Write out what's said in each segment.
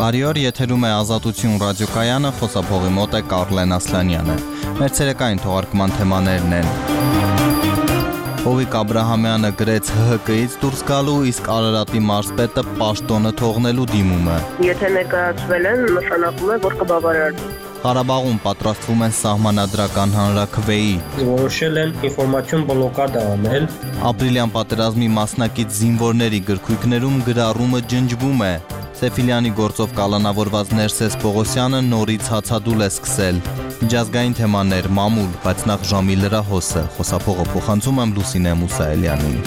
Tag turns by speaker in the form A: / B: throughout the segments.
A: Բարի օր, եթերում է Ազատություն ռադիոկայանը, խոսափողի մոտ է Կարլեն Ասլանյանը։ Մեր ցերեկային թողարկման թեմաներն են. Հովիկ Աբրահամյանը գրեց ՀՀԿ-ից դուրս գալու, իսկ Արարատի մարզպետը պաշտոնը թողնելու դիմումը։
B: Եթե ներկայացվել են, նշանակում է, որ կբավարարվի։
A: Ղարաբաղում պատրաստվում են սահմանադրական հանրաքվեի։
C: Որոշել են ինֆորմացիոն բլոկադ անել։
A: Ապրիլյան պատերազմի մասնակից զինվորների գրքույկներում գրառումը ջնջվում է։ Սեֆիլյանի գործով կալանավորված Ներսես Պողոսյանը նորից հացադուլ է սկսել։ Միջազգային թեմաներ մամուլ, բայց նախ ժամի լրահոսը։ Խոսափողը փոխանցում եմ Լուսինե Մուսայելյանին։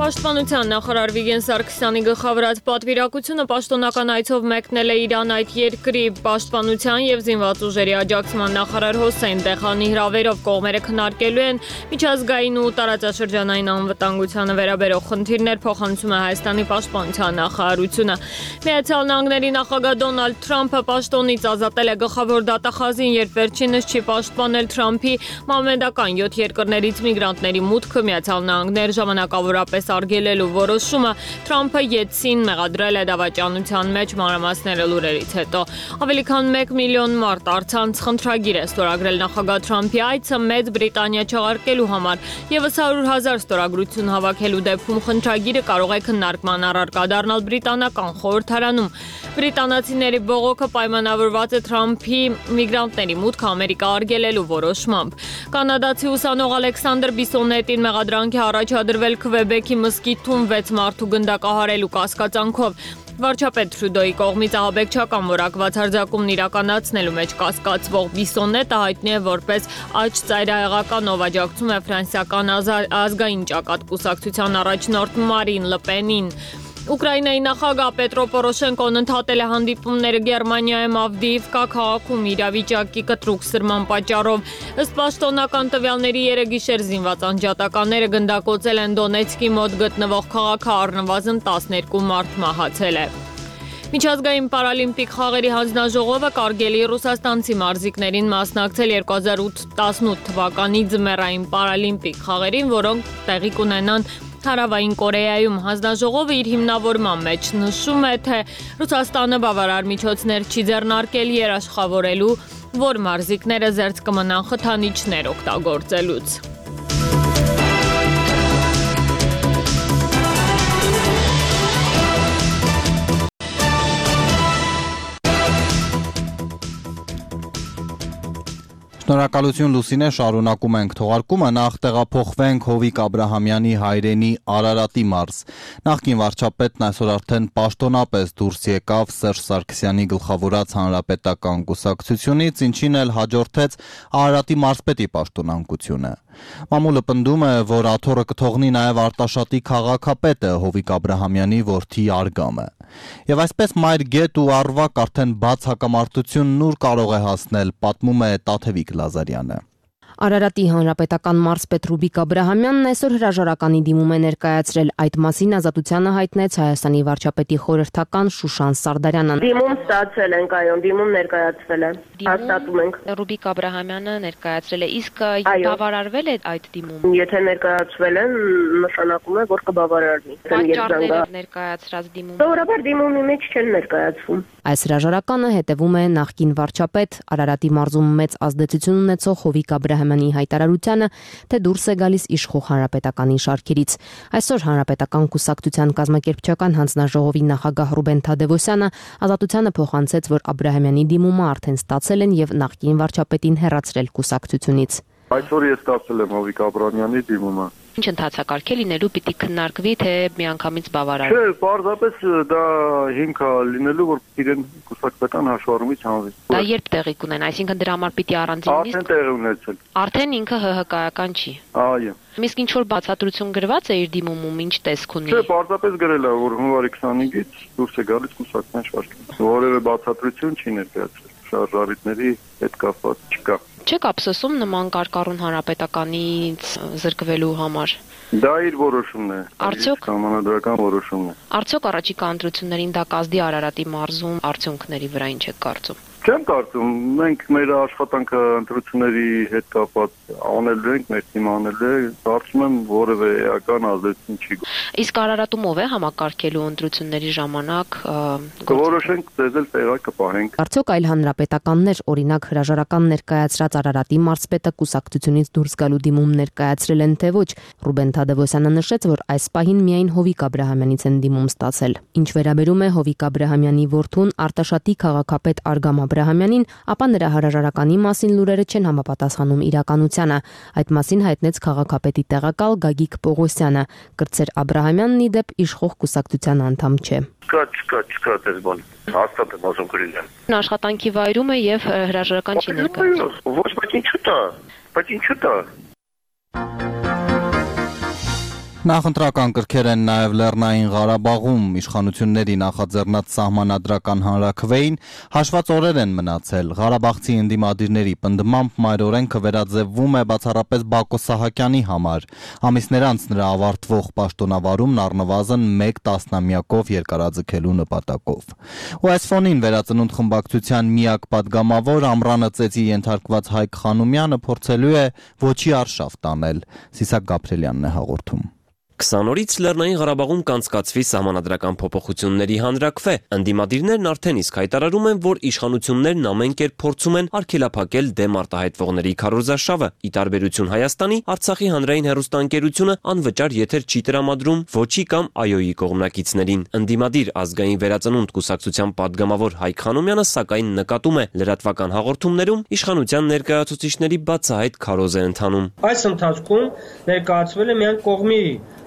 D: Պաշտպանության նախարար Վիգեն Սարգսյանի գլխավորած պատվիրակությունը պաշտոնական այցով մեկնել է Իրան այդ երկրի պաշտպանության եւ զինված ուժերի աջակցման նախարար Հոսեյն Տեխանի հրավերով կողմերը քննարկելու են միջազգային ու տարածաշրջանային անվտանգությանը վերաբերող խնդիրներ, փոխանցում է Հայաստանի պաշտպանության նախարարությունը։ Միացյալ Նահանգների նախագահ Դոնալդ Թրամփը պաշտոնից ազատել է գլխավոր դատախազին, երբ վերջինս չի պաշտպանել Թրամփի մամեդական 7 երկրներից միգրանտների մուտքը Միացյալ Նահանգներ ժամանակավորապես արգելելու որոշումը Թրամփը յետսին մեղադրել է դավաճանության մեջ, մանրամասները լուրերից հետո։ Ավելի քան 1 միլիոն մարդ առցանց խնդրագիր է ստորագրել նախագահ Թրամփի այցը Մեծ Բրիտանիա չեղարկելու համար, եւս 100,000 ստորագրություն հավաքելու դեպքում խնդրագիրը կարող է քննարկման առարկա դառնալ բրիտանական խորհրդարանում։ Բրիտանացիների բողոքը պայմանավորված է Թրամփի միգրանտների մուտքը Ամերիկա արգելելու որոշմամբ։ Կանադացի ուսանող Ալեքսանդր Բիսոնետին մեղադրանք է առաջադրվել Քվեբեքի մզկիթում 6 մարդու գնդակահարելու կասկածանքով։ Վարչապետ Թրյուդոյի կողմից ահաբեկչական որակված հարձակումն իրականացնելու մեջ կասկածվող Բիսոնետը հայտնի է որպես աջ ծայրահեղական, ով աջակցում է ֆրանսիական ազգային ճակատ կուսակցության առաջնորդ Մարին Լը Պենին։ Ուկրաինայի նախագահ Պետրո Պորոշենկոն ընդհատել է հանդիպումները Գերմանիայում Ավդիիվկա քաղաքում իրավիճակի կտրուկ սրման պատճառով։ Ըստ պաշտոնական տվյալների երեգիշեր զինված անջատականները գնդակոծել են Դոնեցկի մոտ գտնվող քաղաքը, առնվազն 12 մարդ մահացել է։ Միջազգային պարալիմպիկ խաղերի հանձնաժողովը կարգելի ռուսաստանցի մարզիկներին մասնակցել 2018 թվականի ձմեռային պարալիմպիկ խաղերին, որոնք տեղի կունենան Հարավային Կորեայում։ Հանձնաժողովը իր հիմնավորման մեջ նշում է, թե Ռուսաստանը բավարար միջոցներ չի ձեռնարկել երաշխավորելու, որ մարզիկները զերծ կմնան խթանիչներ օգտագործելուց։
A: Շնորհակալություն Լուսինե, շարունակում ենք թողարկումը, նախ տեղափոխվենք Հովիկ Աբրահամյանի հայրենի Արարատի մարզ։ Նախկին վարչապետն այսօր արդեն պաշտոնապես դուրս եկավ Սերժ Սարգսյանի գլխավորած հանրապետական կուսակցությունից, ինչին էլ հաջորդեց Արարատի մարզպետի պաշտոնանկությունը։ Մամուլը պնդում է, որ աթոռը կթողնի նաև Արտաշատի քաղաքապետը Հովիկ Աբրահամյանի որդի Արգամը։ Եվ այսպես մայր գետ ու առվակ արդեն բաց հակամարտությունն ուր կարող է հասնել, պատմում է Տաթևիկ Լազարյանը։
E: Արարատի հանրապետական մարզպետ Հովիկ Աբրահամյանն այսօր հրաժարականի դիմում է ներկայացրել։ Այդ մասին Ազատությանը հայտնեց Հայաստանի վարչապետի խորհրդական Շուշան Սարդարյանը։
B: Դիմում ստացել ենք, այո, դիմում ներկայացվել է։ Հաստատում ենք։
E: Հովիկ Աբրահամյանը ներկայացրել է, իսկ բավարարվել է այդ դիմումը։
B: Եթե ներկայացվել են, նշանակում է, որ կբավարարվի։
E: Պատճառները ներկայացրած դիմումը։
B: Սովորաբար դիմումի մեջ չեն ներկայացվում։
E: Այս հրաժարականը հետևում է նախկին վարչապետ Արարատի մարզում մեծ ազդեցություն ունեցող Հովիկ Աբրահամյանի հայտարարությանը, թե դուրս է գալիս իշխող հանրապետականի շարքերից։ Այսօր հանրապետական կուսակցության կազմակերպչական հանձնաժողովի նախագահ Ռուբեն Թադևոսյանը Ազատությանը փոխանցեց, որ Աբրահամյանի դիմումը արդեն ստացել են եւ նախկին վարչապետին հեռացրել կուսակցությունից։
F: Այսօր ես ստացել եմ Հովիկ Աբրահամյանի դիմումը։
E: Ինչ ընթացակարգ է լինելու, պիտի քննարկվի, թե միանգամից բավարարվի։
F: Չէ, պարզապես դա հիմք է լինելու, որ իրեն կուսակցական հաշվառումից հանվի։
E: Դա երբ տեղի կունենա, այսինքն դրա համար պիտի առանձին նիստ։
F: Արդեն տեղի ունեցել։
E: Արդեն ինքը ՀՀԿ-ական չի։
F: Այո։
E: Իսկ ինչ որ բացատրություն գրված է իր դիմումում, ինչ տեսք ունի։
F: Չէ, պարզապես գրել է, որ հունվարի 25-ից դուրս է գալիս կուսակցության շարքից։ Որևէ բացատրություն չի ներկայացրել։ Շարժարիտների հետ կապված չկա։
E: Չեք ափսոսում նման կարկառուն հանրապետականից զրկվելու համար։
F: Դա իր որոշումն է։
E: Արդյոք
F: համանդրական որոշումն է։
E: Արդյոք առաջիկա ընտրություններին դա կազդի Արարատի մարզում արդյունքների վրա ինչ է կարծում։
F: Չեմ կարծում, մենք մեր աշխատանքը ընտրությունների հետ կապված անելու ենք, մեր թիմը անել է, կարծում եմ որևէ էական ազդեցություն չի։
E: Իսկ Արարատումով է համակարգելու ընտրությունների ժամանակ
F: կորոշենք դեզել տեղակը պահենք։
E: Արդյոք այլ հանրապետականներ, օրինակ հրաժարական ներկայացրած Արարատի մարզպետը կուսակցությունից դուրս գալու դիմում ներկայացրել են թե ոչ։ Ռուբեն Թադևոսյանը նշեց, որ այս պահին միայն Հովիկ Աբրահամյանից են դիմում ստացել։ Ինչ վերաբերում է Հովիկ Աբրահամյանի որդուն Արտաշատի քաղաքապետ Արգամ Աբրահամյանին, ապա նրա հրաժարականի մասին լուրերը չեն համապատասխանում իրականությանը։ Այդ մասին հայտնեց քաղաքապետի տեղակալ Գագիկ Պողոսյանը։ Կրտսեր Աբրահամյանն ի դեպ իշխող կուսակցության անդամ չէ։
F: Չկա դες բան։ Հաստատ եմ ասում գրել։
E: Աշխատանքի վայրում է եւ հրաժարական չի ներկայացնում։
F: Ոչ, բայց ինչու՞ տա։
A: Նախընտրական կրքեր են նաև Լեռնային Ղարաբաղում, իշխանությունների նախաձեռնած սահմանադրական հանրաքվեին հաշված օրեր են մնացել։ Ղարաբաղցի ընդդիմադիրների պնդմամբ մայրօրենքը վերաձևվում է բացառապես Բակո Սահակյանի համար։ Ամիսներ անց նրա ավարտվող պաշտոնավարումն առնվազն 1 տասնամյակով երկարաձգելու նպատակով։ Ու այս ֆոնին Վերածնունդ խմբակցության միակ պատգամավոր Ամռանը ծեծի ենթարկված Հայկ Խանոմյանը փորձելու է ոչի արշավ տանել։ Սիսակ Գաբրելյանն է հաղորդում։
G: 20 օրից Լեռնային Ղարաբաղում կանցկացվի սահմանադրական փոփոխությունների հանրաքվե։ Ընդդիմադիրներն արդեն իսկ հայտարարում են, որ իշխանություններն ամեն կերպ փորձում են արգելափակել դեմ արտահայտվողների քարոզարշավը։ Ի տարբերություն Հայաստանի, Արցախի հանրային հեռուստաընկերությունը անվճար եթեր չի տրամադրում ոչի կամ այոյի կողմնակիցներին։ Ընդդիմադիր ազգային վերածնունդ կուսակցության պատգամավոր Հայկ Խանոմյանը սակայն նկատում է, լրատվական հաղորդումներում իշխանության ներկայացուցիչների բացահայտ քարոզ է ընթանում։
C: Այս ընթացքում ներկայացվել է միայն կողմի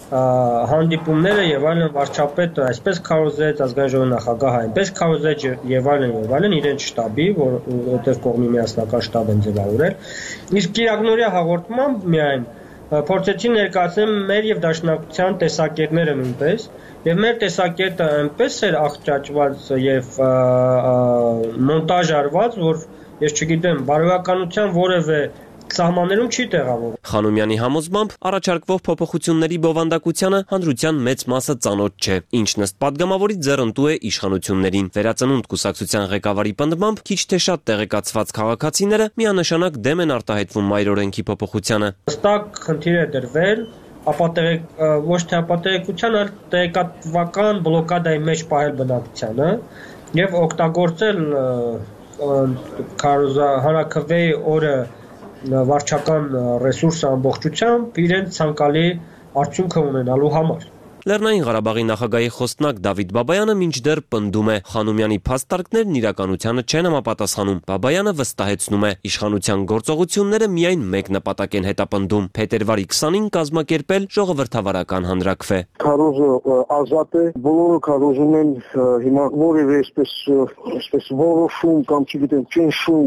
C: հանդիպումները եւ այլն վարչապետը այսպես քարոզեց ազգային ժողովի նախագահը, այնպես քարոզեց եւ այլն իրենց շտաբի, որտեղ կողմի միասնական շտաբ են ձևավորել։ Իսկ Կիրակնորյա հաղորդմամբ միայն փորձեցին ներկայացնել մեր եւ դաշնակցության տեսակետները նույնպես, եւ մեր տեսակետը այնպես էր աղճաճված եւ մոնտաժ արված, որ ես չգիտեմ, բարոյականության որևէ սահմաններում չի տեղավորվում։
G: Խանոմյանի համոզմամբ առաջարկվող փոփոխությունների բովանդակությանը հանրության մեծ մասը ծանոթ չէ, ինչն ըստ պատգամավորի ձեռնտու է իշխանություններին։ Վերածնունդ կուսակցության ղեկավարի պնդմամբ քիչ թե շատ տեղեկացված քաղաքացիները միանշանակ դեմ են արտահայտվում մայրօրենքի փոփոխությանը։
C: Հստակ խնդիր է դրվել ոչ թե ապատեղեկության, այլ տեղեկատվական բլոկադայի մեջ պահել բնակչությանը եւ օգտագործել հանրաքվեի օրը վարչական ռեսուրսը ամբողջությամբ իրենց ցանկալի արդյունքը ունենալու համար։
G: Լեռնային Ղարաբաղի նախագահի խոսնակ Դավիթ Բաբայանը մինչդեռ պնդում է, Խանոմյանի փաստարկներն իրականությանը չեն համապատասխանում։ Բաբայանը վստահեցնում է, իշխանության գործողությունները միայն մեկ նպատակ են հետապնդում՝ փետրվարի 20-ին կազմակերպել ժողովրդավարական հանրաքվե։
H: Քարոզը ազատ է, բոլորը քարոզում են հիմա որևէ այսպես որոշում կամ չգիտեմ ճնշում,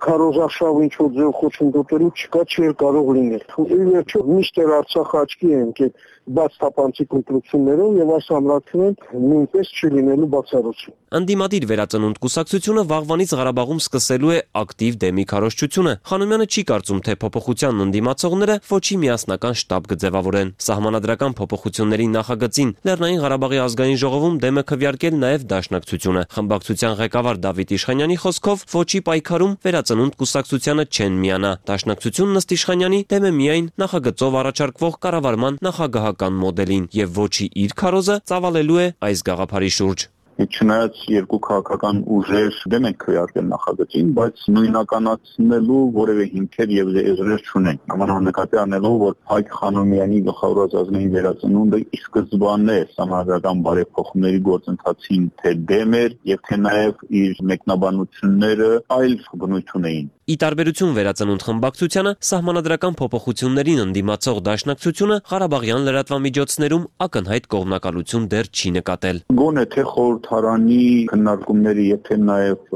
H: քարոզարշավ ինչ որ ձև խոչընդոտելու չկա, չի կարող լինել։ Ի վերջո միշտ Արցախը աչքի է ընկել բաց թափանցիկ ընտրություններով եւ այս ամրացումն նույնպես չի լինելու բացառություն։
G: Ընդդիմադիր Վերածնունդ կուսակցությունը վաղվանից Ղարաբաղում սկսելու է ակտիվ դեմի քարոզչությունը։ Խանոմյանը չի կարծում, թե փոփոխության ընդդիմացողները ոչի միասնական շտաբ կձևավորեն։ Սահմանադրական փոփոխությունների նախագծին Լեռնային Ղարաբաղի ազգային ժողովում դեմը քվեարկել նաև Դաշնակցությունը։ Խմբակցության ղեկավար Դավիթ Իշխանյանի խոսքով ոչի պայքարում Վերածնունդ կուսակցությանը չեն միանա։ Դաշնակցությունն ըստ Իշխանյանի դեմ է միայն նախագծով առաջարկվող կառավարման նախագահական մոդելին եւ ոչի իր քարոզը ծավալելու է այս գաղափարի շուրջ։
F: Չնայած երկու քաղաքական ուժեր դեմ են քվեարկել նախագծին, բայց նույնականացնելու որևէ հիմքեր եւ եզրեր չունեն։ Համանանկատի անելով, որ Հայկ Խանոմյանի գլխավորած ազգային վերածնունդը ի սկզբանե սահմանադրական բարեփոխումների գործընթացին թե դեմ էր եւ թե նաեւ իր մեկնաբանությունները այլ բնույթ ունեին։
G: Ի տարբերություն Վերածնունդ խմբակցությանը սահմանադրական փոփոխություններին ընդդիմացող Դաշնակցությունը Ղարաբաղյան լրատվամիջոցներում ակնհայտ կողմնակալություն դեռ չի նկատել։
F: Գոնե թե խորհրդարանի քննարկումների, եթե նաև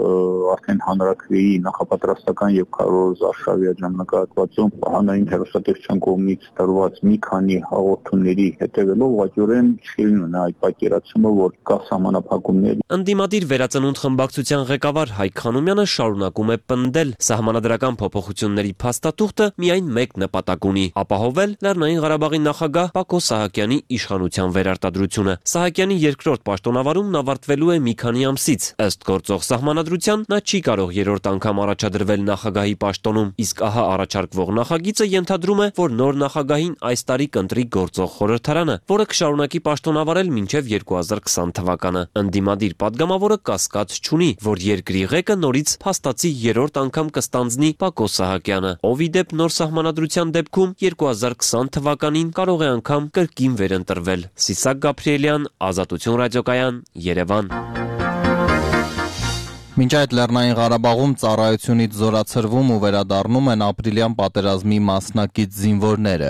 F: արդեն հանրաքվեի նախապատրաստական եւ քարոզարշավի ժամանակահատվածում հանրային հեռուստատեսության կողմից տրված մի քանի հաղորդումների հետևելով ուղղակիորեն չի ունենա այդ պատկերացումը, որ կա սահմանափակումներ։
G: Ընդդիմադիր Վերածնունդ խմբակցության ղեկավար Հայկ Խանոմյանը շարունակում է պնդել Սահմանադրական փոփոխությունների փաստաթուղթը միայն մեկ նպատակ ունի՝ ապահովել Լեռնային Ղարաբաղի նախագահ Բակո Սահակյանի իշխանության վերարտադրությունը։ Սահակյանի երկրորդ պաշտոնավարումն ավարտվելու է մի քանի ամսից։ Ըստ գործող սահմանադրության նա չի կարող երրորդ անգամ առաջադրվել նախագահի պաշտոնում, իսկ ահա առաջարկվող նախագիծը ենթադրում է, որ նոր նախագահին այս տարի կընտրի գործող խորհրդարանը, որը կշարունակի պաշտոնավարել մինչև 2020 թվականը։ Ընդդիմադիր падգամավորը կասկած չունի, որ երկրի ղեկը նորից փաստացի երրորդ անգամ կստանձնի Բակո Սահակյանը, ով ի դեպ նոր սահմանադրության դեպքում 2020 թվականին կարող է անգամ կրկին վերընտրվել։ Սիսակ Գաբրիելյան, Ազատություն ռադիոկայան, Երևան։
A: Մինչ այդ Լեռնային Ղարաբաղում ծառայությունից զորացրվում ու վերադառնում են ապրիլյան պատերազմի մասնակից զինվորները։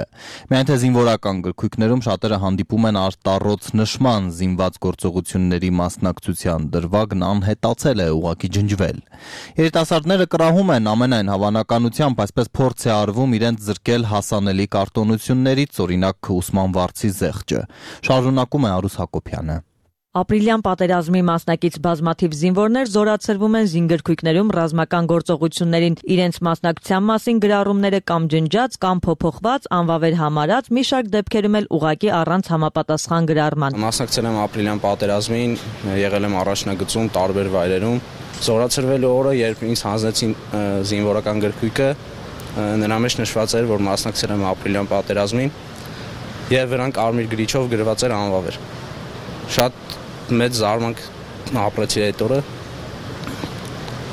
A: Միայն թե զինվորական գրքույկներում շատերը հանդիպում են արտառոց նշման զինված գործողությունների մասնակցության դրվագն անհետացել է, ուղղակի ջնջվել։ Երիտասարդները կռահում են ամենայն հավանականությամբ այսպես փորձ է արվում իրենց զրկել հասանելի կարտոնություններից, օրինակ ուսման վարձի զեղչը։ Շարունակում է Արուս Հակոբյանը։
I: Ապրիլյան պատերազմի մասնակից բազմաթիվ զինվորներ զորացրվում են զինգրքույկներում ռազմական գործողություններին, իրենց մասնակցության մասին գրառումները կամ ջնջած, կամ փոփոխված, անվավեր համարած, մի շարք դեպքերում էլ ուղղակի առանց համապատասխան գրառման։
J: Մասնակցել եմ ապրիլյան պատերազմին, եղել եմ առաջնագծում տարբեր վայրերում։ Զորացրվելու օրը, երբ ինձ հանձնեցին զինվորական գրքույկը, նրա մեջ նշված էր, որ մասնակցել եմ ապրիլյան պատերազմին, եւ վրանք արմիր գրիչով գրված էր անվավեր։ Շատ մեծ զարմանք ապրեցի այդ օրը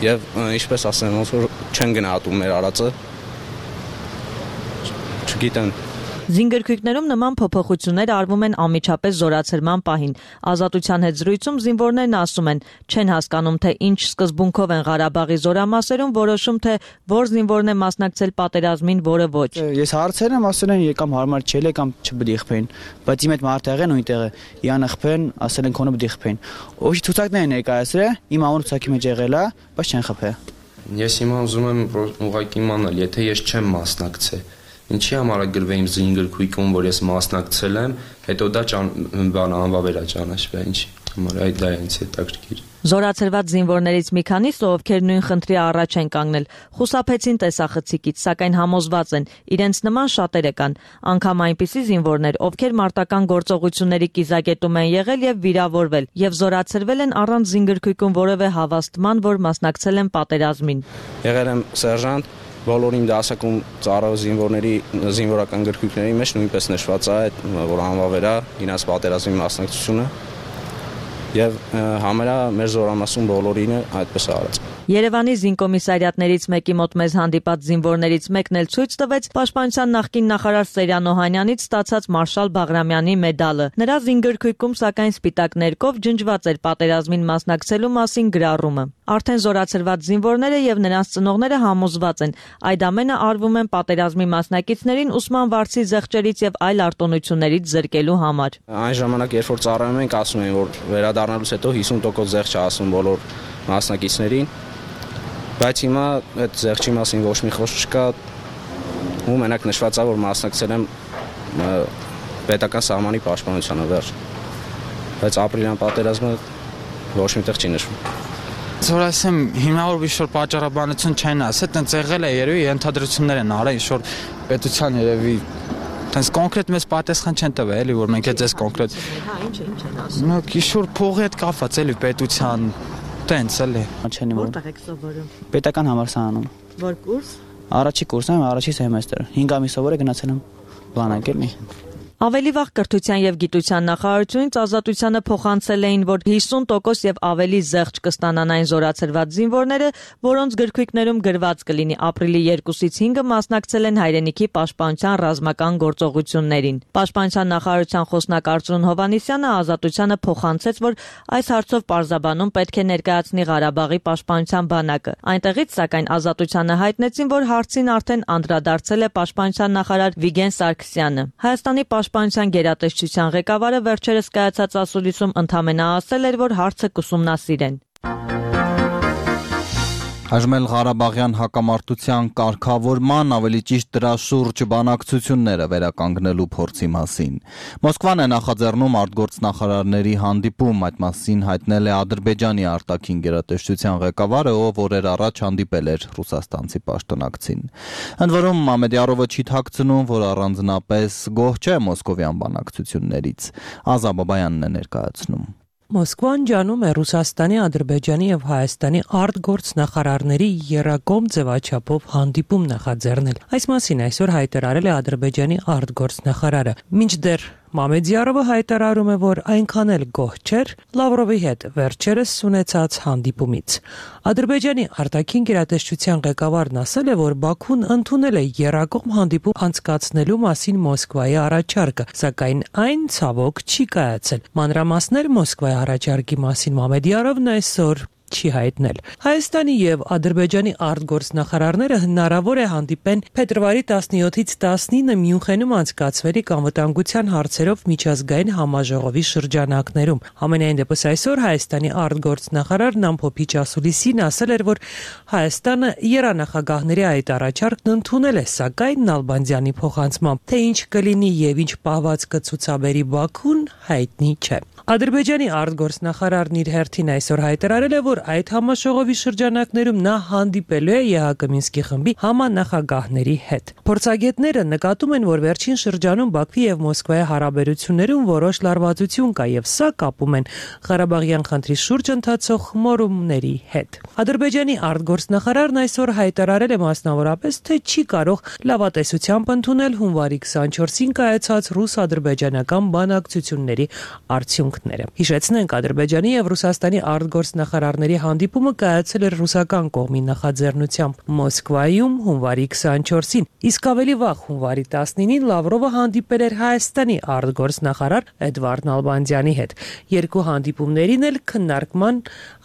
J: եւ ինչպես ասեմ, ոնց որ չեն գնահատում մեր արածը, չգիտեմ։
I: Զինգրքույկներում նման փոփոխություններ արվում են անմիջապես զորացրման պահին։ Ազատության հետ զրույցում զինվորներն ասում են, չեն հասկանում, թե ինչ սկզբունքով են Ղարաբաղի զորամասերում որոշում, թե որ զինվորն է մասնակցել պատերազմին, որը ոչ։
K: Ես հարցել եմ, ասել են եկամ հարմար չէ, կամ չբդիխփեին, բայց իմ այդ մարդեղեն նույնտեղ է, իան խփեն, ասել են քոնը բդիխփեին։ Ոչի ցուցակներ ներկայացրել, իմ անունը ցուցակի մեջ եղել է, բայց չեն խփել։
L: Ես հիմա ուզում եմ ուղղակի իմանալ, եթե ես չեմ մասնակցել, ինչի համար է գրվել իմ զինգրքույկում, որ ես մասնակցել եմ, հետո դա անվավեր է ճանաչվել, ինչի համար այդ դա է ինձ հետաքրքիր։
I: Զորացրված զինվորներից մի քանիսը, ովքեր նույն խնդրի առաջ են կանգնել, խուսափեցին տեսախցիկից, սակայն համոզված են, իրենց նման շատերը կան, անգամ այնպիսի զինվորներ, ովքեր մարտական գործողությունների կիզակետում են եղել եւ վիրավորվել, եւ զորացրվել են առանց զինգրքույկում որևէ հավաստման, որ մասնակցել են պատերազմին։
J: Եղել եմ սերժանտ, բոլոր իմ դասակում ծառայող զինվորների զինվորական գրքույկների մեջ նույնպես նշված է, որ անվավեր է իրենց պատերազմի մասնակցությունը եւ համերա մեր զորամասում բոլորին այդպես արած։
I: Երևանի զինկոմիսարիատներից մեկի մոտ մեզ հանդիպած զինվորներից մեկն էլ ցույց տվեց Պաշտպանության նախկին նախարար Սերյան Օհանյանից ստացած Մարշալ Բաղրամյանի մեդալը։ Նրա զինգրքույկում սակայն սպիտակ ներկով ջնջված էր պատերազմին մասնակցելու մասին գրառումը։ Արդեն զորացրված զինվորները եւ նրանց ծնողները համոզված են, այդ ամենը արվում են պատերազմի մասնակիցներին ուսման վարձի զեղչերից եւ այլ արտոնություններից զրկելու համար։
J: Այն ժամանակ, երբ որ ծառայում ենք, ասում են, որ վերադառնալուց հետո 50% զեղչ է ասում բոլոր մասնակիցներին, բայց հիմա այդ զեղչի մասին ոչ մի խոսք չկա, ու մենակ նշված է, որ մասնակցել եմ պետական սահմանի պաշտպանությանը վերջ, բայց ապրիլյան պատերազմը ոչ միտեղ չի նշվում։
K: Որ ասեմ, հիմնավոր ինչ-որ պատճառաբանություն չեն ասել, տենց եղել է երևի ենթադրություններ են արել, ինչ-որ պետության երևի տենց կոնկրետ մեծ պատասխան չեն տվել, էլի, որ մենք այդ կոնկրետ։
I: Հա, ինչ են ասում։
K: Նո, ինչ-որ փողի հետ կապված էլի պետության, տենց էլի։
I: Որտեղ եք սովորում։
K: Պետական համալսարանում։
I: Որ կուրս։
K: Առաջի կուրսն եմ, առաջի սեմեստր։ 5 ամիս սովոր է գնացել եմ բանակ էլի։
I: Ավելի վաղ Կրթության եւ Գիտության նախարարությունից Ազատությանը փոխանցել էին, որ 50% եւ ավելի զեղչ կստանան այն զորացրված զինվորները, որոնց գրքույկներում գրված կլինի ապրիլի 2-ից 5-ը մասնակցել են հայրենիքի պաշտպանության ռազմական գործողություններին։ Պաշտպանության նախարարության խոսնակ Արծրուն Հովհաննիսյանը Ազատությանը փոխանցեց, որ այս հարցով պարզաբանում պետք է ներկայացնի Ղարաբաղի պաշտպանության բանակը։ Այնտեղից սակայն Ազատությանը հայտնեցին, որ հարցին արդեն անդրադարձել է պաշտպանության նախարար Վիգեն Սարգսյանը։ Հայաստանի Պաշտպանության գերատեսչության ղեկավարը վերջերս կայացած ասուլիսում ընդամենը ասել էր, որ հարցը կուսումնասիրեն։
A: Հաշմել Ղարաբաղյան հակամարտության կարգավորման, ավելի ճիշտ դրա շուրջ բանակցությունները վերականգնելու փորձի մասին։ Մոսկվան է նախաձեռնում արտգործնախարարների հանդիպում, այդ մասին հայտնել է Ադրբեջանի արտաքին գերատեսչության ղեկավարը, ով օրեր առաջ հանդիպել էր ռուսաստանցի պաշտոնակցին։ Ընդ որում Մամեդյարովը չի թաքցնում, որ առանձնապես գոհ չէ մոսկովյան բանակցություններից։ Ազա Բաբայանն է ներկայացնում։
M: Մոսկվան ջանում է Ռուսաստանի, Ադրբեջանի եւ Հայաստանի արտգործնախարարների եռակողմ ձևաչափով հանդիպում նախաձեռնել։ Այս մասին այսօր հայտարարել է Ադրբեջանի արտգործնախարարը։ Մինչդեռ Մամեդյարովը հայտարարում է, որ այնքան էլ գոհ չէր Լավրովի հետ վերջերս ունեցած հանդիպումից։ Ադրբեջանի արտաքին գերատեսչության ղեկավարն ասել է, որ Բաքուն ընդունել է եռակողմ հանդիպում անցկացնելու մասին Մոսկվայի առաջարկը, սակայն այն ցավոք չի կայացել։ Մանրամասներ Մոսկվայի առաջարկի մասին Մամեդյարովն այսօր չի հայտնել։ Հայաստանի եւ Ադրբեջանի արտգործնախարարները հնարավոր է հանդիպեն փետրվարի 17-ից 19 Մյունխենում անցկացվելիք անվտանգության հարցերով միջազգային համաժողովի շրջանակներում։ Համենայն դեպս այսօր Հայաստանի արտգործնախարար Նամփոփիչ Ասուլիսին ասել էր, որ Հայաստանը երանախագահների այդ առաջարկն ընդունել է, սակայն Նալբանդյանի փոխանցմամբ, թե ինչ կլինի եւ ինչ պահված կցուցաբերի Բաքուն, հայտնի չէ։ Ադրբեջանի արտգործնախարարն իր հերթին այսօր հայտարարել է, որ այդ համաժողովի շրջանակներում նա հանդիպելու է ԵՀԿ Մինսկի խմբի համանախագահների հետ։ Փորձագետները նկատում են, որ վերջին շրջանում Բաքվի եւ Մոսկվայի հարաբերություններում որոշ լարվածություն կա եւ սա կապում են Ղարաբաղյան խնդրի շուրջ ընթացող խմորումների հետ։ Ադրբեջանի արտգործնախարարն այսօր հայտարարել է մասնավորապես, թե չի կարող լավատեսությամբ ընդունել հունվարի 24-ին կայացած ռուս-ադրբեջանական բանակցությունների արդյունքները։ Հիշեցնենք, Ադրբեջանի եւ Ռուսաստանի արտգործնախարարների հանդիպումը կայացել էր ռուսական կողմի նախաձեռնությամբ Մոսկվայում հունվարի 24-ին, իսկ ավելի վաղ հունվարի 19-ին Լավրովը հանդիպել էր Հայաստանի արտգործնախարար Էդվարդ Նալբանդյանի հետ։ Երկու հանդիպումներին էլ քննարկման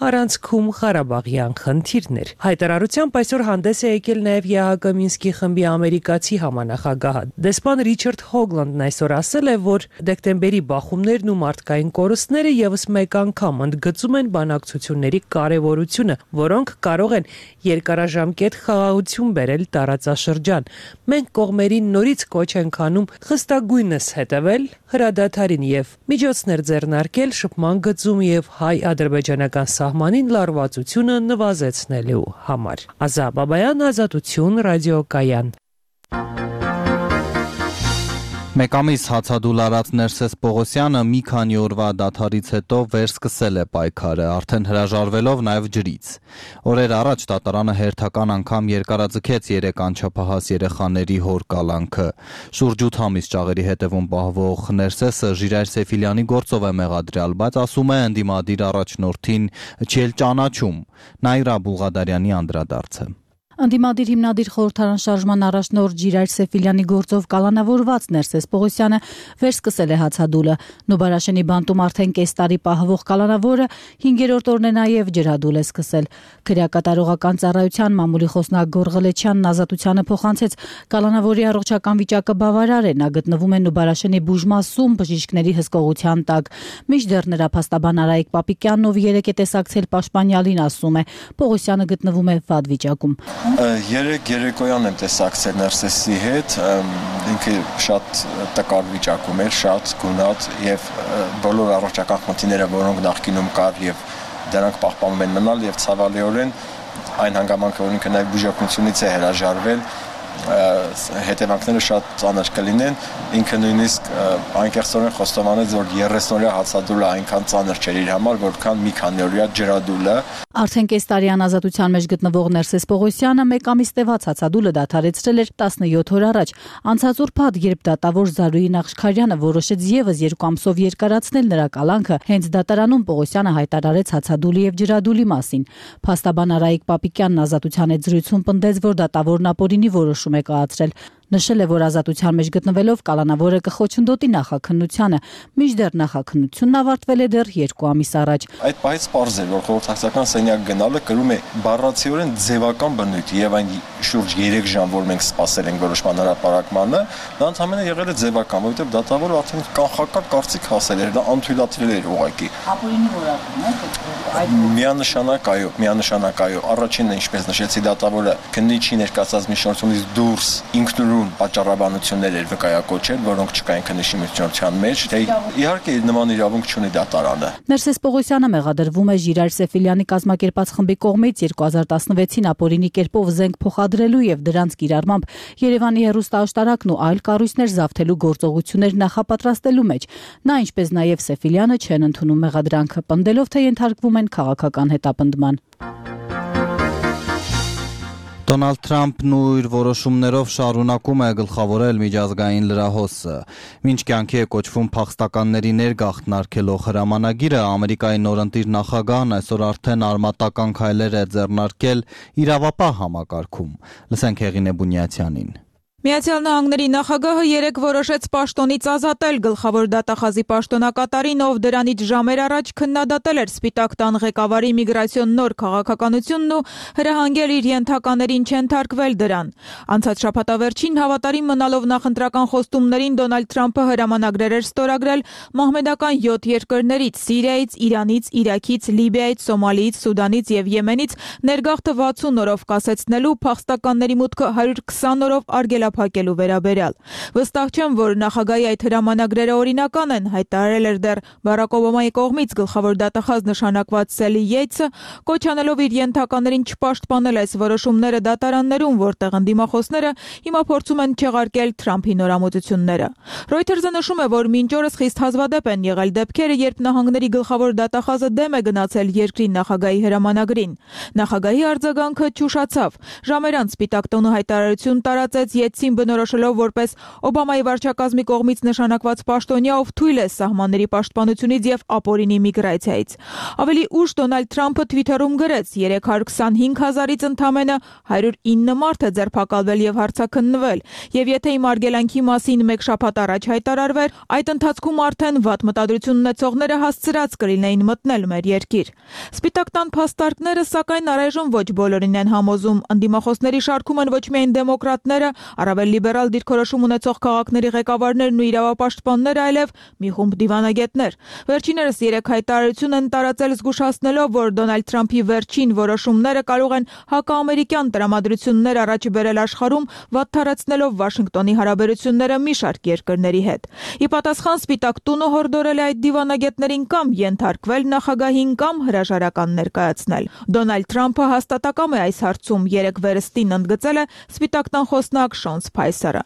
M: առանցքում Ղարաբաղյան խնդիրներ։ Հայտարարությամբ այսօր հանդես է եկել նաև ԵՀԿ Մինսկի խմբի ամերիկացի համանախագահը։ Դեսպան Ռիչարդ Հոգլանդն այսօր ասել է, որ դեկտեմբերի բախումներն ու մարդկային կորուստները եւս մեկ անգամ ընդգծում են բանակցությունների կարևորությունը, որոնք կարող են երկարաժամկետ խաղաղություն բերել տարածաշրջան։ Մենք կողմերին նորից կոչ ենք անում խստագույնս հետևել հրադադարին եւ միջոցներ ձեռնարկել շփման գծում եւ հայ-ադրբեջանական սահմանին լարվածությունը նվազեցնելու համար։ Ազա Բաբայան, Ազատություն, ռադիոկայան։
A: Մեկ ամիս հացադուլ արած Ներսես Պողոսյանը մի քանի օրվա դադարից հետո վերսկսել է պայքարը, արդեն հրաժարվելով նաև ջրից։ Օրեր առաջ դատարանը հերթական անգամ երկարաձգեց 3 անչափահաս երեխաների հոր կալանքը։ Շուրջ 8 ամիս ճաղերի հետևում պահվող Ներսեսը Ժիրայր Սեֆիլյանի գործով է մեղադրյալ, բայց ասում է ընդդիմադիր առաջնորդին չի էլ ճանաչում։ Նայրա Բուլղադարյանի անդրադարձը։
N: Ընդդիմադիր հիմնադիր խորհրդարան շարժման առաջնորդ Ժիրայր Սեֆիլյանի գործով կալանավորված Ներսես Պողոսյանը վերսկսել է հացադուլը։ Նոբարաշենի բանտում արդեն կես տարի պահվող կալանավորը 5-րդ օրն է նաև ջրադուլ է սկսել։ Քրեակատարողական ծառայության մամուլի խոսնակ Գոր Ղլեչյանն Ազատությանը փոխանցեց կալանավորի առողջական վիճակը բավարար է, նա գտնվում է Նոբարաշենի բուժմասում բժիշկների հսկողության տակ։ Մինչդեռ նրա փաստաբան Արայիկ Պապիկյանն, ով երեկ է տեսակցել Պաշտպանյալին, ասում է, Պողոսյանը գտնվում է վատ վիճակում։
O: Երեկ երեկոյան եմ տեսակցել Ներսեսի հետ, ինքը շատ տկար վիճակում էր, շատ գունատ եւ բոլոր առողջական խնդիրները, որոնք նախկինում կար եւ դրանք պահպանում են մնալ եւ ցավալիորեն այն հանգամանքը, որ ինքը նաեւ բուժօգնությունից է հրաժարվել, հետևանքները շատ ծանր կլինեն, ինքը նույնիսկ անկեղծորեն խոստովանեց, որ 30-օրյա հացադուլը այնքան ծանր չէր իր համար, որքան մի քանի օրյա ջրադուլը։
N: Արդեն կես տարի անազատության մեջ գտնվող Ներսես Պողոսյանը մեկ ամիս տևած հացադուլը դադարեցրել էր 17 օր առաջ։ Անցած ուրբաթ, երբ դատավոր Զարուհի Նախշքարյանը որոշեց եւս 2 ամսով երկարացնել նրա կալանքը, հենց դատարանում Պողոսյանը հայտարարեց հացադուլի եւ ջրադուլի մասին։ Փաստաբան Արայիկ Պապիկյանն Ազատության հետ զրույցում պնդեց, որ դատավորն ապօրինի որոշում է կայացրել։ Նշել է, որ ազատության մեջ գտնվելով կալանավորը կխոչընդոտի նախաքննությանը, մինչդեռ նախաքննությունն ավարտվել է դեռ 2 ամիս առաջ։
O: Այդ պահից պարզ էր, որ խորհրդակցական սենյակ գնալը կրում է բառացիորեն ձևական բնույթ եւ այն շուրջ 3 ժամ, որ մենք սպասել ենք որոշման հրապարակմանը, դա ընդհանրապես եղել է ձևական, որովհետեւ դատավորը արդեն կանխական կարծիք հասել էր, դա անթույլատրել էր ուղղակի։
N: Ապօրինի որակում է
O: Միանշանակ այո, առաջինը ինչպես նշեցի, դատավորը քննիչի ներկայացած միջնորդությունից դուրս ինքնուրույն պատճառաբանություններ էր վկայակոչել, որոնք չկային քննիչի միջնորդության մեջ, թե իհարկե նման իրավունք չունի դատարանը։
N: Ներսես Պողոսյանը մեղադրվում է Ժիրայր Սեֆիլյանի կազմակերպած խմբի կողմից 2016-ին ապօրինի կերպով զենք փոխադրելու եւ դրանց կիրառմամբ Երևանի հեռուստաաշտարակն ու այլ կառույցներ զավթելու գործողություններ նախապատրաստելու մեջ։ Նա ինչպես նաեւ Սեֆիլյանը չեն ընդունում մեղադրանքը, պնդելով թե ենթարկվում են քաղաքական հետապնդման։
A: Դոնալդ Թրամփն իր որոշումներով շարունակում է գլխավորել միջազգային լրահոսը։ Մինչ կյանքի է կոչվում փախստականների ներգաղթնարկելով հրամանագիրը, Ամերիկայի նորընտիր նախագահն այսօր արդեն արմատական քայլեր է ձեռնարկել իրավապահ համակարգում։ Լսենք Հեղինե Բունյացյանին։
P: Միացյալ Նահանգների նախագահը երեկ որոշեց պաշտոնից ազատել գլխավոր դատախազի պաշտոնակատարին, ով դրանից ժամեր առաջ քննադատել էր Սպիտակ տան ղեկավարի միգրացիոն նոր քաղաքականությունն ու հրահանգել իր ենթականերին չենթարկվել դրան։ Անցած շաբաթավերջին հավատարիմ մնալով նախընտրական խոստումներին Դոնալդ Թրամփը հրամանագրեր էր ստորագրել մահմեդական 7 երկրներից՝ Սիրիայից, Իրանից, Իրաքից, Լիբիայից, Սոմալիից, Սուդանից եւ Եմենից ներգաղթը 60 օրով կասեցնելու, փախստականների մուտքը 120 օրով արգելափակելու վերաբերյալ։ Վստահ չեմ, որ նախագահի այդ հրամանագրերը օրինական են, հայտարարել էր դեռ Բարակ Օբամայի կողմից գլխավոր դատախազ նշանակված Սելի Յեյթսը, կոչ անելով իր ենթականերին չպաշտպանել այս որոշումները դատարաններում, որտեղ ընդդիմախոսները հիմա փորձում են չեղարկել Թրամփի նորամուծությունները։ Reuters-ը նշում է, որ մինչ օրս խիստ հազվադեպ են եղել դեպքերը, երբ նահանգների գլխավոր դատախազը դեմ է գնացել երկրի նախագահի հրամանագրին։ Նախագահի արձագանքը ճուշացավ։ Ժամեր անց Սպիտակ տոնը հայտարարություն տարածեց Յեյթսին բնորոշելով որպես Օբամայի վարչակազմի կողմից նշանակված պաշտոնյա, ով թույլ է սահմանների պաշտպանությունից եւ ապօրինի միգրացիայից։ Ավելի ուշ Դոնալդ Թրամփը Twitter-ում գրեց. 325,000-ից ընդամենը 109 մարդ է ձերբակալվել եւ հարցաքննվել, եւ եթե իմ արգելանքի մասին մեկ շաբաթ առաջ հայտարարվեր, այդ ընթացքում արդեն վատ մտադրություն ունեցողները հասցրած կլինեին մտնել մեր երկիր։ Սպիտակ տան փաստարկները, սակայն առայժմ ոչ բոլորին են համոզում։ Ընդդիմախոսների շարքում են ոչ միայն դեմոկրատները, առավել լիբերալ դիրքորոշում ունեցող քաղաքների ղեկավարներն ու իրավապաշտպանները, այլև մի խումբ դիվանագետներ։ Վերջիներս 3 հայտարարություն են տարածել զգուշացնելով, որ Դոնալդ Թրամփի վերջին որոշումները կարող են հակաամերիկյան տրամադրություններ առաջ բերել աշխարհում, վատթարացնելով Վաշինգտոնի հարաբերությունները մի շարք երկրների հետ։ Ի պատասխան Սպիտակ տունը հորդորել է այդ դիվանագետներին կամ ենթարկվել նախագահին կամ հրաժարական ներկայացնել։ Դոնալդ Թրամփը հաստատակամ է այս հարցում, երեկ վերստին ընդգծել է Սպիտակ տան խոսնակ Շոն Սփայսերը։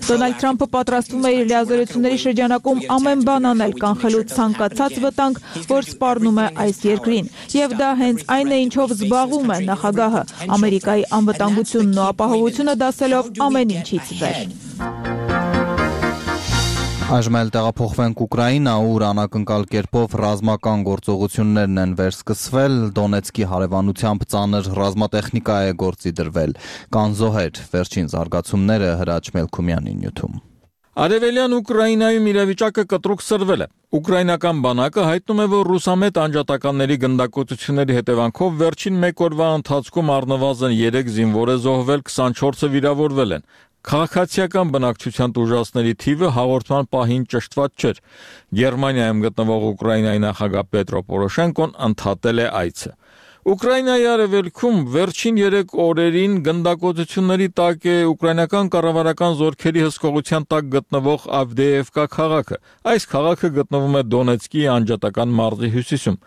P: Դոնալդ Թրամփը պատրաստվում է իր լիազորությունների շրջանակում ամեն բան անել, կանխելու ցանկացած վտանգ, որ սպառնում է այս երկրին, եւ դա հենց այն է, ինչով զբաղվում է նախագահը, Ամերիկայի անվտանգությունն ու ապահովությունը դասելով ամեն ինչից վեր։
A: Այժմ էլ տեղափոխվենք Ուկրաինա, ուր անակնկալ կերպով ռազմական գործողություններն են վերսկսվել, Դոնեցկի հարևանությամբ ծանր ռազմատեխնիկա է գործի դրվել, կան զոհեր, վերջին զարգացումները Հրաչ Մելքումյանի նյութում։
Q: Արևելյան Ուկրաինայում իրավիճակը կտրուկ սրվել է։ Ուկրաինական բանակը հայտնում է, որ ռուսամետ անջատականների գնդակոծությունների հետևանքով վերջին մեկ օրվա ընթացքում առնվազն 3 զինվոր է զոհվել, 24-ը վիրավորվել են։ Քաղաքացիական բնակչության տուժածների թիվը հաղորդման պահին ճշտված չէր։ Գերմանիայում գտնվող Ուկրաինայի նախագահ Պետրո Պորոշենկոն ընդհատել է այցը։ Ուկրաինայի արևելքում վերջին 3 օրերին գնդակոծությունների տակ է ուկրաինական կառավարական զորքերի հսկողության տակ գտնվող Ավդեևկա քաղաքը։ Այս քաղաքը գտնվում է Դոնեցկի անջատական մարզի հյուսիսում։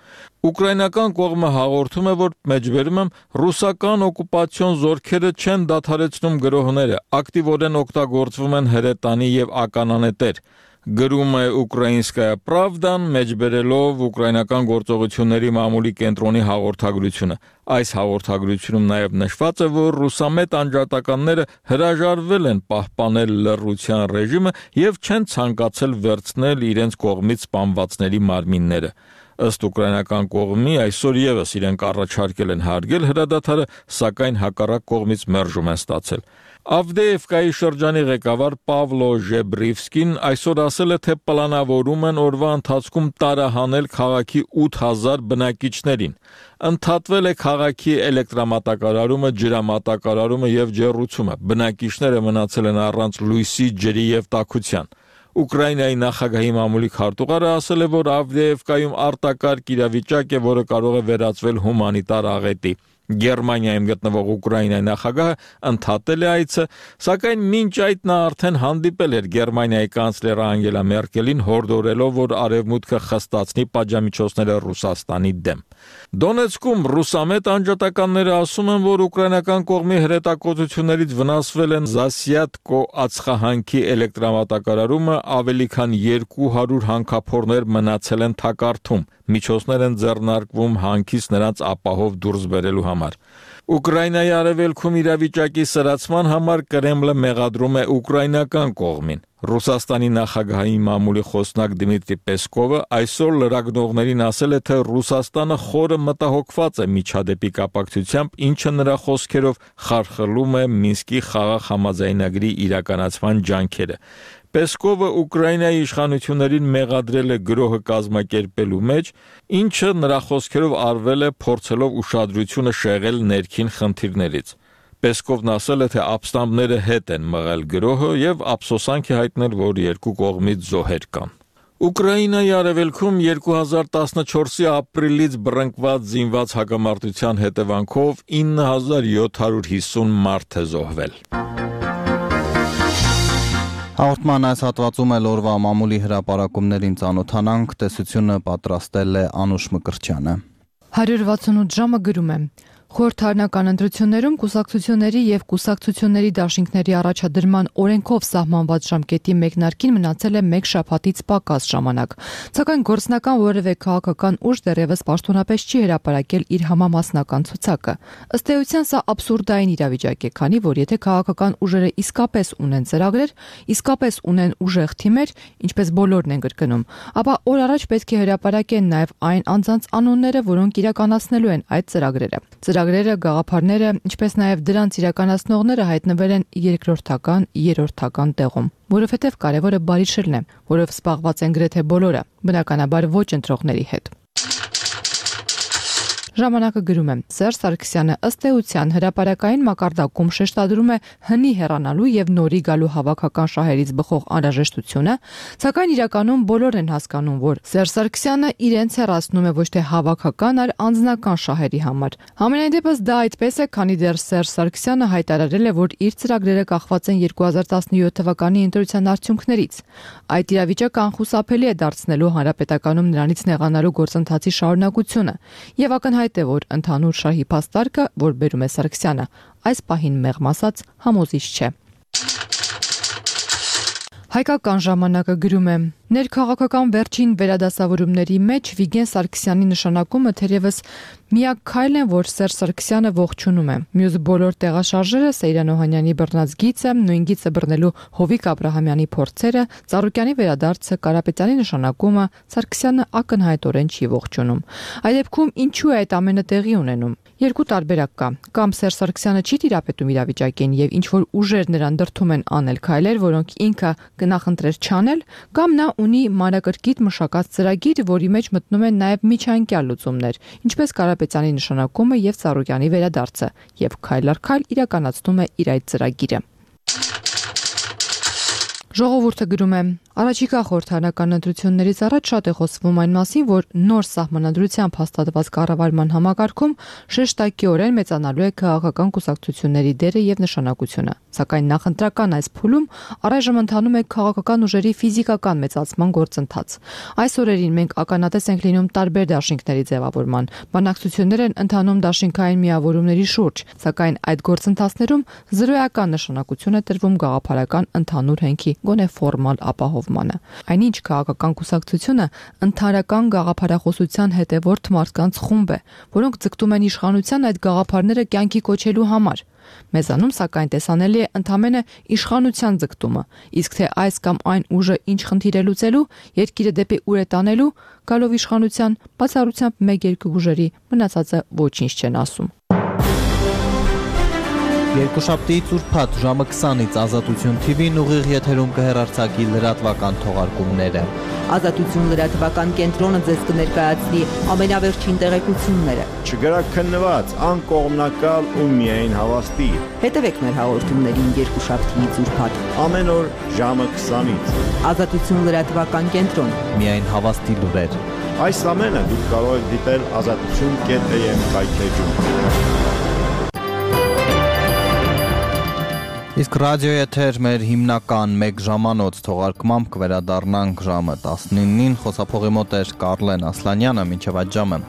Q: Ուկրաինական կողմը հաղորդում է, որ մեջբերում եմ ռուսական օկուպացիոն զորքերը չեն դադարեցնում գրոհները, ակտիվորեն օգտագործվում են հրետանի եւ ականանետեր։ Գրում է Ուկրաինսկայա Պրավդան, մեջբերելով ուկրաինական գործողությունների մամուլի կենտրոնի հաղորդագրությունը։ Այս հաղորդագրությունում նաև նշված է, որ ռուսամետ անջատականները հրաժարվել են պահպանել լռության ռեժիմը եւ չեն ցանկացել վերցնել իրենց կողմից սպանվածների մարմինները։ Ըստ ուկրաինական կողմի այսօր եւս իրենք առաջարկել են հարգել հրադադարը, սակայն հակառակ կողմից մերժում են ստացել։ Ավդեևկայի շրջանի ղեկավար Պավլո Ժեբրիվսկին այսօր ասել է, թե պլանավորում են օրվա ընթացքում տարահանել քաղաքի 8000 բնակիչներին։ Ընդհատվել է քաղաքի էլեկտրամատակարարումը, ջրամատակարարումը եւ ջեռուցումը։ Բնակիչները մնացել են առանց լույսի, ջրի եւ տաքության։ Ուկրաինայի նախագահի մամուլի քարտուղարը ասել է, որ Ավդեևկայում արտակարգ իրավիճակ է, որը կարող է վերածվել հումանիտար աղետի։ Գերմանիայում գտնվող Ուկրաինայի նախագահը ընդհատել է այցը, սակայն մինչ այդ նա արդեն հանդիպել էր Գերմանիայի կանցլեր Անգելա Մերկելին, հորդորելով, որ արևմուտքը խստացնի պատժամիջոցները Ռուսաստանի դեմ։ Դոնեցկում ռուսամետ անջատականները ասում են, որ ուկրաինական կողմի հրետակոծություններից վնասվել են Զասյատկո ածխահանքի էլեկտրամատակարարումը, ավելի քան 200 հանքափորներ մնացել են թակարդում։ Միջոցներ են ձեռնարկվում հանքից նրանց ապահով դուրս բերելու համար։ Ուկրաինայի արևելքում իրավիճակի սրացման համար Կրեմլը մեղադրում է ուկրաինական կողմին։ Ռուսաստանի նախագահի մամուլի խոսնակ Դմիտրի Պեսկովը այսօր լրագրողներին ասել է, թե Ռուսաստանը խորը մտահոգված է միջադեպի կապակցությամբ, ինչը նրա խոսքերով խարխլում է Մինսկի խաղաղ համաձայնագրի իրականացման ջանքերը։ Պեսկովը Ուկրաինայի իշխանություններին մեղադրել է գրոհը կազմակերպելու մեջ, ինչը նրա խոսքերով արվել է փորձելով ուշադրությունը շեղել ներքին խնդիրներից։ Պեսկովն ասել է, թե ապստամբները հետ են մղել գրոհը եւ ափսոսանք է հայտնել, որ երկու կողմից զոհեր կան։ Ուկրաինայի արևելքում 2014-ի ապրիլից բռնկված զինված հակամարտության հետևանքով 9750 մարդ է զոհվել։
A: Հաղորդման այս հատվածում էլ օրվա մամուլի հրապարակումներին ծանոթանանք, տեսությունը պատրաստել է Անուշ Մկրտչյանը։
R: 168 ժամը գրում է. Խորհրդարանական ընտրություններում կուսակցությունների եւ կուսակցությունների դաշինքների առաջադրման օրենքով սահմանված ժամկետի մեկնարկին մնացել է 1 շաբաթից պակաս ժամանակ։ Սակայն գործնական որևէ քաղաքական ուժ դեռևս պաշտոնապես չի հրապարակել իր համամասնական ցուցակը։ Ըստ էության սա աբսուրդային իրավիճակ է, քանի որ եթե քաղաքական ուժերը իսկապես ունեն ծրագրեր, իսկապես ունեն ուժեղ թիմեր, ինչպես բոլորն են կրկնում, ապա օր առաջ պետք է հրապարակեն նաեւ այն անձանց անունները, որոնք իրականացնելու են այդ ծրագրերը։ Ծրագրերը, գաղափարները, ինչպես նաև դրանց իրականացնողները հայտնվել են երկրորդական, երրորդական տեղում, որովհետև կարևորը բարիշելն է, որով զբաղված են գրեթե բոլորը, բնականաբար ոչ ընտրողների հետ։ Ժամանակը գրում է. Սերժ Սարգսյանը ըստ էության հրապարակային մակարդակում շեշտադրում է հնի հեռանալու եւ նորի գալու հավաքական շահերից բխող անհրաժեշտությունը, սակայն իրականում բոլոր են հասկանում, որ Սերժ Սարգսյանը իրենց հեռացնում է ոչ թե հավաքական, այլ անձնական շահերի համար։ Համենայն դեպս դա այդպես է, քանի դեռ Սերժ Սարգսյանը հայտարարել է, որ իր ծրագրերը կախված են 2017 թվականի ընտրության արդյունքներից։ Այդ իրավիճակը անխուսափելի է դարձնելու հանրապետականում նրանից նեղանալու գործընթացի շարունակությունը եւ ակնհայտ է, որ ընդհանուր շահի փաստարկը, որ բերում է Սարգսյանը, այս պահին մեղմ ասած համոզիչ չէ։ Հայկական ժամանակը գրում է. Ներքաղաքական վերջին վերադասավորումների մեջ Վիգեն Սարգսյանի նշանակումը թերևս միակ քայլն է, որ Սերժ Սարգսյանը ողջունում է։ Մյուս բոլոր տեղաշարժերը, Սեյրան Օհանյանի բռնած գիծը, նույն գիծը բռնելու Հովիկ Աբրահամյանի փորձերը, Ծառուկյանի վերադարձը, Կարապետյանի նշանակումը Սարգսյանը ակնհայտորեն չի ողջունում։ Այդ դեպքում ինչու է այդ ամենը տեղի ունենում։ Երկու տարբերակ կա։ Կամ Սերժ Սարգսյանը չի տիրապետում իրավիճակին եւ ինչ որ ուժեր նրան դրթում են անել քայլեր, որոնք ինքը կնախընտրեր չանել, կամ նա ունի մանրակրկիտ մշակած ծրագիր, որի մեջ մտնում են նաև միջանկյալ լուծումներ, ինչպես Կարապետյանի նշանակումը եւ Ծառուկյանի վերադարձը, եւ քայլ առ քայլ իրականացնում է իր այդ ծրագիրը։ Ժողովուրդը գրում է. Առաջիկա խորհրդարանական ընտրություններից առաջ շատ է խոսվում այն մասին, որ նոր սահմանադրությամբ հաստատված կառավարման համակարգում շեշտակիորեն մեծանալու է քաղաքական կուսակցությունների դերը եւ նշանակությունը։ Սակայն նախընտրական այս փուլում առայժմ ընթանում է քաղաքական ուժերի ֆիզիկական մեծացման գործընթաց։ Այս օրերին մենք ականատես ենք լինում տարբեր դաշինքների ձևավորման։ Բանակցություններ են ընթանում դաշինքային միավորումների շուրջ, սակայն այդ գործընթացներում զրոյական նշանակություն է տրվում գաղափարական ընդհանուր հենքի գոնե ֆորմալ ապահովմանը։ Այնինչ քաղաքական կուսակցությունը ընդհանրական գաղափարախոսության հետևորդ մարդկանց խումբ է, որոնք ձգտում են իշխանության այդ գաղափարները կյանքի կոչելու համար։ Մեզանում սակայն տեսանելի է ընդամենը իշխանության ձգտումը, իսկ թե այս կամ այն ուժը ինչ խնդիր է լուծելու, երկիրը դեպի ուր է տանելու, գալով իշխանության, բացառությամբ 1-2 ուժերի մնացածը ոչինչ չեն ասում։
A: Երկուշաբթի ծուրփաթ ժամը 20-ից Ազատություն TV-ն ուղիղ եթերում կհեռարձակի լրատվական թողարկումները։
S: Ազատություն լրատվական կենտրոնը ձեզ կներկայացնի ամենավերջին տեղեկությունները։
T: Չգրաքննված, անկողմնակալ ու միայն հավաստի։
S: Հետևեք մեր հաղորդումներին երկուշաբթի ծուրփաթ։
T: Ամեն օր ժամը 20-ից։
S: Ազատություն լրատվական կենտրոն։
A: Միայն հավաստի լուրեր։
T: Այս ամենը դուք կարող եք դիտել azatutun.am կայքեջում։
A: Իսկ ռադիոյի եթեր մեր հիմնական 1 ժամանոց թողարկմամբ կվերադառնանք ժամը 19-ին, խոսափողի մոտ էր Կարլեն Ասլանյանը, մինչև այդ ժամը։